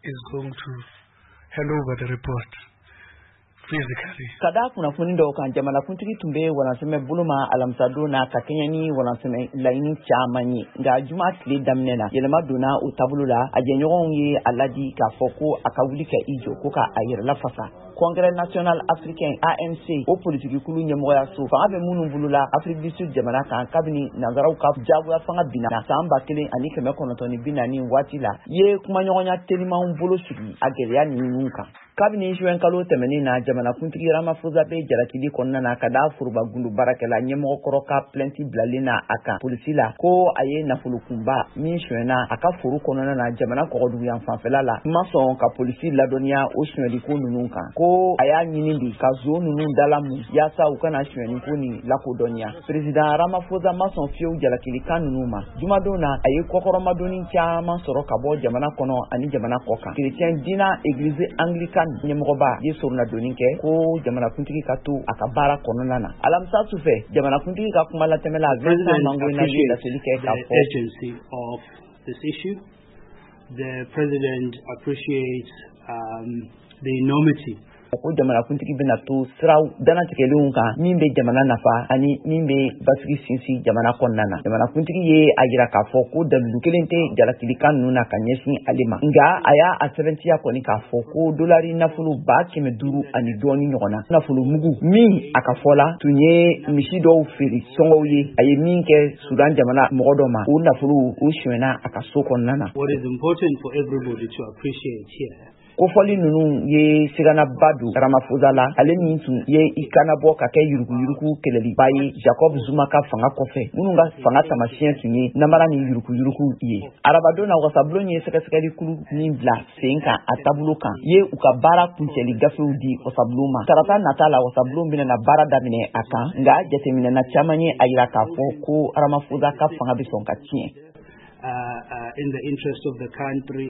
is going to hand over the report physically. Ka da kunnafoni dɔw kan, jamanakuntigi tun bɛ walansɛmɛ bolo ma alamisadon na ka kɛɲɛ ni walansɛmɛ laɲini caman ye. Nka juma tile daminɛ na, yɛlɛma donna o taabolo la. A jɛɲɔgɔnw ye a ladi k'a fɔ ko a ka wuli ka i jɔ ko ka a yɛrɛ lafasa. Congrès national africain, ANC, o politikikulu ɲɛmɔgɔyaso fanga bɛ minnu bolo la Afrique du Sud jamana kan kabini nanzaraw ka jagoya fanga binna san 1940 waati la, ye kumaɲɔgɔnya telimanw bolo sigi a gɛlɛya ninnu kan. Kabini juin kalo tɛmɛnen na, jamanakuntigi Ramaphosa bɛ jalakili kɔnɔna na ka da foroba gundo baarakɛla ɲɛmɔgɔkɔrɔ ka plainte bilalen na a kan polisi la, ko a ye nafolo kunba min sonyɛna a ka foro kɔnɔna na jamana kɔgɔduguyan fanfɛla la, ma sɔn ka polisi ladɔnniya o sonyɛliko ninnu kan, ko a y'a ɲini de ka zon ninnu dalamu yaasa u kana sonyɛliko nin lakodɔnniya. Président Ramaphosa ma sɔn fiyewu jalakilikan ninnu ma. Jumadon na, a ye kɔkɔrɔmadonni caman sɔrɔ ka bɔ jamana kɔnɔ ani jamana kɔ kan. Chrétien diina église anglicane ɲɛmɔgɔba ye soronadonni kɛ ko jamanakuntigi ka to a ka baara kɔnɔna na. Alamisa sufɛ, jamanakuntigi ka kuma latɛmɛla Vincent Mangoina ye laseli kɛ k'a fɔ: Of this issue. The president appreciates the enormity ko jamanakuntigi bɛna to siraw danatigɛlenw kan min bɛ jamana nafa ani min bɛ basigi sinsin jamana kɔnɔna na. Jamanakuntigi ye a yira k'a fɔ ko dalilu kelen tɛ jalakilikan ninnu na ka ɲɛsin ale ma, nka a y'a a sɛbɛntiya kɔni k'a fɔ ko dolari nafolo 500,000 ani dɔɔni ɲɔgɔn na, nafolo mugu min a ka fɔ la tun ye misi dɔw feere sɔngɔw ye, a ye min kɛ Sudan jamana mɔgɔ dɔ ma, o nafolo o sonyɛna a ka so kɔnɔna na. What is important for everybody to appreciate here Kofɔli ninnu ye siganaba don Ramaphosa la, ale min tun ye i kanabɔ ka kɛ yuruguyurugu kɛlɛliba ye Jacob Zuma ka fanga kɔfɛ, minnu ka fanga tamasiyɛn tun ye namara ni yuruguyurugu ye. Arabadon na, wasabulon ye sɛgɛsɛgɛli kulu min bila sen kan a taabolo kan, ye u ka baara kuncɛli gafew di wasabulon ma. Tarata nata la, wasabulon bɛna baara daminɛ a kan, nka jateminɛna caman ye a yira k'a fɔ ko Ramaphosa ka fanga bɛ sɔn ka tiɲɛ. In the interest of the country.